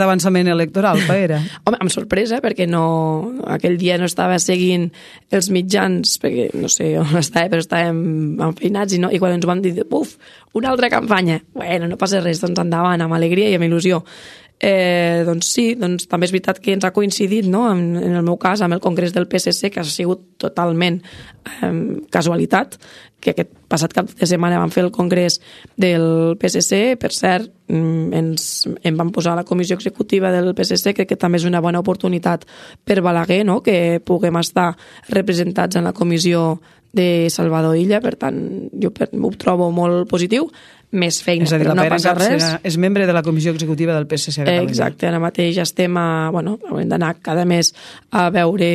B: avançament electoral, Paira.
C: Home, amb sorpresa, perquè no, aquell dia no estava seguint els mitjans, perquè no sé on estava, però estàvem enfeinats i, no, i quan ens van dir, uf, una altra campanya, bueno, no passa res, doncs endavant, amb alegria i amb il·lusió. Eh, doncs sí, doncs també és veritat que ens ha coincidit, no? en, en el meu cas, amb el Congrés del P S C, que ha sigut totalment eh, casualitat, que aquest passat cap de setmana vam fer el Congrés del P S C, per cert, ens, em van posar a la comissió executiva del P S C, crec que també és una bona oportunitat per Balaguer, no? Que puguem estar representats en la comissió de Salvador Illa, per tant, jo ho trobo molt positiu, més feina,
B: és a dir,
C: però
B: la
C: no passa res.
B: Serà, és membre de la comissió executiva del P S C.
C: Eh, exacte, ara mateix estem a... Bueno, hem d'anar cada mes a veure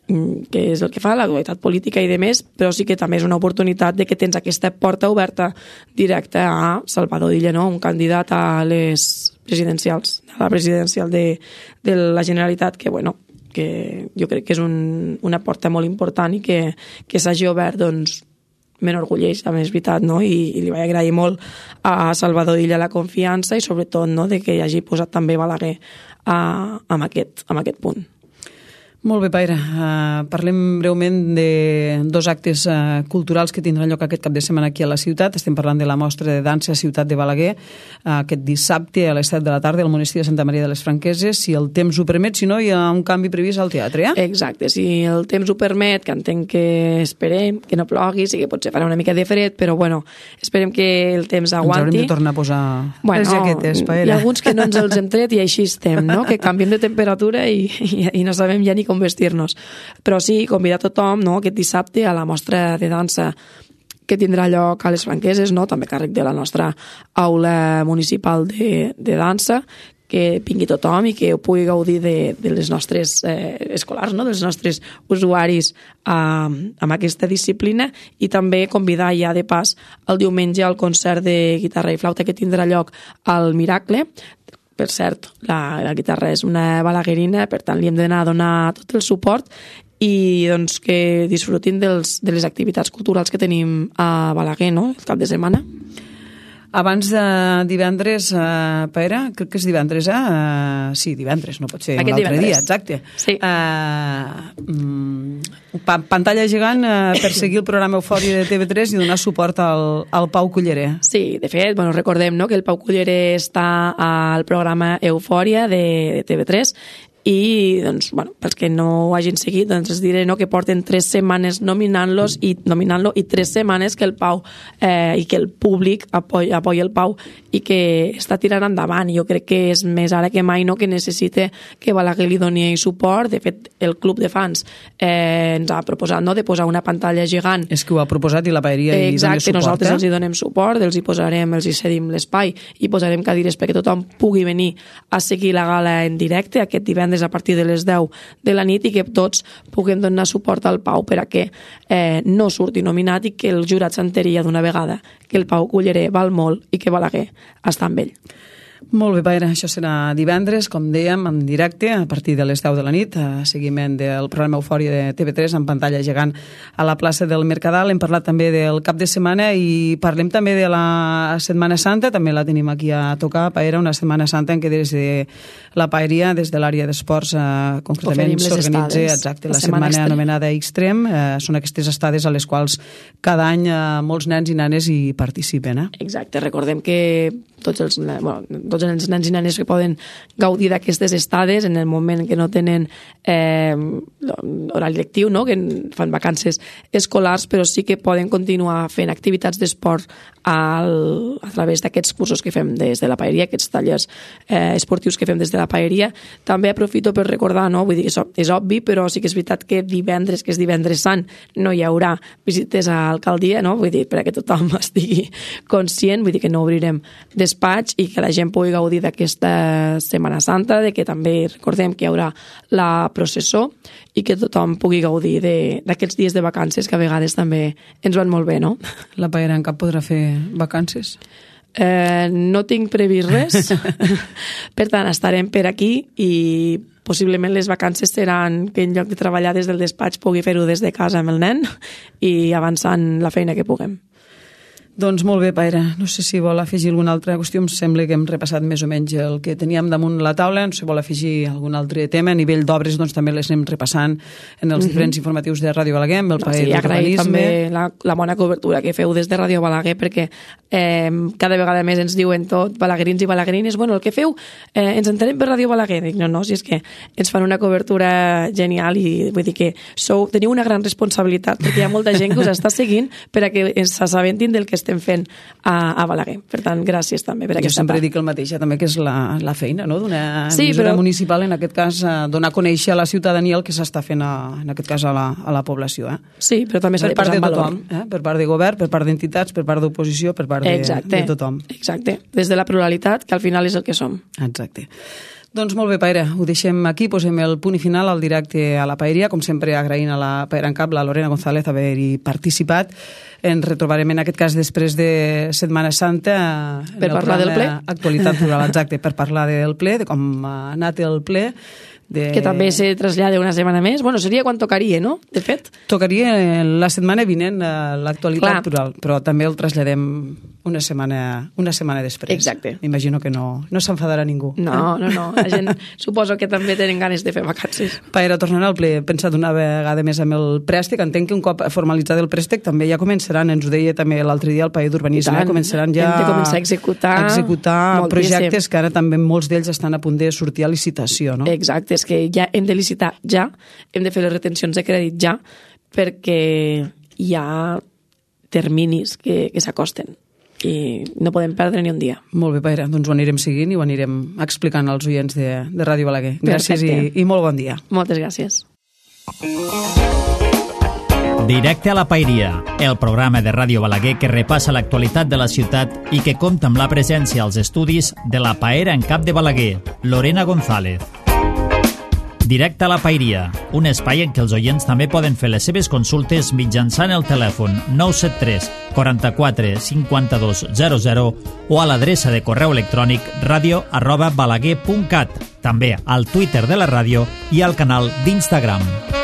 C: què és el que fa l'actualitat política i de més, però sí que també és una oportunitat de que tens aquesta porta oberta directa a Salvador Illa, no? Un candidat a les presidencials, a la presidencial de, de la Generalitat, que, bueno, que jo crec que és un, una porta molt important i que, que s'hagi obert, doncs, m'enorgulleix, també és veritat, no? I, i li vaig agrair molt a Salvador Illa la confiança i sobretot, no?, de que hi hagi posat també Balaguer a, amb, aquest, amb aquest punt.
B: Molt bé, Paira. Uh, parlem breument de dos actes uh, culturals que tindran lloc aquest cap de setmana aquí a la ciutat. Estem parlant de la mostra de dansa a Ciutat de Balaguer uh, aquest dissabte a les set de la tarda al monestir de Santa Maria de les Franqueses, si el temps ho permet, si no hi ha un canvi previst al teatre. Eh?
C: Exacte, si el temps ho permet, que entenc que esperem, que no plogui, sí que potser farà una mica de fred, però bueno, esperem que el temps aguanti.
B: Ens haurem de tornar a posar bueno, les jaquetes, Paira.
C: Hi ha alguns que no ens els hem tret i així estem, no? Que canviem de temperatura i, i, i no sabem ja ni com vestir-nos. Però sí, convidar tothom, no?, aquest dissabte a la mostra de dansa que tindrà lloc a les Franqueses, no?, també càrrec de la nostra aula municipal de, de dansa, que vingui tothom i que ho pugui gaudir de, de les nostres eh, escolars, no?, dels nostres usuaris eh, amb aquesta disciplina, i també convidar ja de pas el diumenge al concert de guitarra i flauta que tindrà lloc al Miracle. Per cert, la, la guitarra és una balaguerina, per tant li hem d'anar a donar tot el suport i doncs que disfrutin dels, de les activitats culturals que tenim a Balaguer, no?, el cap de setmana.
B: Abans de divendres, uh, Paira, crec que és divendres, eh? Uh, sí, divendres, no pot ser
C: Aquest
B: un altre
C: divendres.
B: dia, exacte.
C: Sí.
B: Uh, um, pa pantalla gegant uh, per seguir el programa Eufòria de T V tres i donar suport al, al Pau Culleré.
C: Sí, de fet, bueno, recordem, no?, que el Pau Culleré està al programa Eufòria de, de T V tres i, doncs, bueno, pels que no ho hagin seguit, doncs els diré, no?, que porten tres setmanes nominant-los i nominant-lo i tres setmanes que el Pau eh, i que el públic apoya, apoya el Pau i que està tirant endavant. Jo crec que és més ara que mai, no?, que necessita que Balaguer li doni suport. De fet, el club de fans eh, ens ha proposat, no?, de posar una pantalla gegant.
B: És que ho ha proposat i la Paeria hi dona suport.
C: Nosaltres
B: eh?
C: els hi donem suport, els hi posarem, els hi cedim l'espai i posarem cadires perquè tothom pugui venir a seguir la gala en directe aquest divendres a partir de les deu de la nit i que tots puguem donar suport al Pau per a que eh, no surti nominat i que el jurat s'enteri ja d'una vegada que el Pau Culleré val molt i que Balaguer està amb ell.
B: Molt bé, Paira, això serà divendres, com dèiem, en directe, a partir de les deu de la nit, a seguiment del programa Eufòria de T V tres en pantalla gegant a la plaça del Mercadal. Hem parlat també del cap de setmana i parlem també de la Setmana Santa, també la tenim aquí a tocar, Paira, una Setmana Santa en què des de la Paeria, des de l'àrea d'esports, eh, concretament s'organitza exacte, la, la setmana, setmana anomenada Extrem. Eh, són aquestes estades a les quals cada any eh, molts nens i nenes hi participen. Eh?
C: Exacte, recordem que tots els, bueno, tots els nens i nenes que poden gaudir d'aquestes estades en el moment que no tenen eh, horari lectiu, no? Que fan vacances escolars, però sí que poden continuar fent activitats d'esport al, a través d'aquests cursos que fem des de la paeria, aquests tallers eh, esportius que fem des de la paeria. També aprofito per recordar, no? Vull dir que és, és obvi, però sí que és veritat que divendres, que és divendres sant, no hi haurà visites a l'alcaldia, no? Vull dir, perquè tothom estigui conscient, vull dir que no obrirem despatx i que la gent pugui gaudir d'aquesta Setmana Santa, de que també recordem que hi haurà la processó i que tothom pugui gaudir d'aquests dies de vacances que a vegades també ens van molt bé, no?
B: La Paera en Cap podrà fer vacances?
C: Eh, no tinc previst res, per tant estarem per aquí i possiblement les vacances seran que en lloc de treballar des del despatx pugui fer-ho des de casa amb el nen i avançant la feina que puguem.
B: Doncs molt bé, Paera. No sé si vol afegir alguna altra qüestió. Em sembla que hem repassat més o menys el que teníem damunt la taula. No sé si vol afegir algun altre tema. A nivell d'obres doncs, també les anem repassant en els mm-hmm. diferents informatius de Ràdio Balaguer, amb el
C: no,
B: Paer
C: sí,
B: d'Urbanisme.
C: Agrair també la, la bona cobertura que feu des de Ràdio Balaguer, perquè eh, cada vegada més ens diuen tot, balaguerins i balaguerines, bueno, el que feu, eh, ens entenem per Ràdio Balaguer. Dic, no, no, si és que ens fan una cobertura genial i vull dir que sou, teniu una gran responsabilitat, perquè hi ha molta gent que us està seguint per a que s'assabentin del que estem fent a, a Balaguer. Per tant, gràcies també per aquesta part.
B: Jo sempre dic el mateix, també que és la, la feina, no?, d'una
C: sí,
B: emissora
C: però...
B: municipal, en aquest cas, donar a conèixer a la ciutadania el que s'està fent, a, en aquest cas, a la, a la població. Eh?
C: Sí, però també s'ha de posar en valor.
B: Tothom, eh? Per part de govern, per part d'entitats, per part d'oposició, per part de,
C: exacte,
B: de tothom.
C: Exacte, des de la pluralitat, que al final és el que som.
B: Exacte. Doncs molt bé, Paera, ho deixem aquí, posem el punt i final al directe a la Paeria, com sempre agraint a la Paera en Cap, la Lorena González, haver-hi participat. Ens retrobarem en aquest cas després de Setmana Santa
C: per parlar del ple.
B: Actualitat rural, exacte, per parlar del ple, de com ha anat el ple. De...
C: Que també se trasllada una setmana més. Bueno, seria quan tocaria, no? De fet.
B: Tocaria la setmana vinent l'actualitat rural, però també el traslladem una setmana, una setmana després.
C: Exacte.
B: M'imagino que no, no s'enfadarà ningú.
C: No, no, no. La gent suposo que també tenen ganes de fer vacances.
B: Paera, tornant al ple, he pensat una vegada més amb el préstec. Entenc que un cop formalitzat el préstec també ja començaran, ens ho deia també l'altre dia el Paer d'Urbanisme, començaran ja
C: hem de començar a executar,
B: a executar projectes que ara també molts d'ells estan a punt de sortir a licitació, no?
C: Exacte, és que ja hem de licitar ja, hem de fer les retencions de crèdit ja, perquè hi ha terminis que, que s'acosten i no podem perdre ni un dia.
B: Molt bé, Paera, doncs ho anirem seguint i ho anirem explicant als oients de, de Ràdio Balaguer. Gràcies i, i molt bon dia.
C: Moltes gràcies.
A: Directe a la Paeria, el programa de Ràdio Balaguer que repassa l'actualitat de la ciutat i que compta amb la presència als estudis de la Paera en Cap de Balaguer, Lorena González. Directe a la Paeria, un espai en què els oients també poden fer les seves consultes mitjançant el telèfon nou set tres, quaranta-quatre, cinquanta-dos, zero zero o a l'adreça de correu electrònic radio arroba balaguer punt cat, també al Twitter de la ràdio i al canal d'Instagram.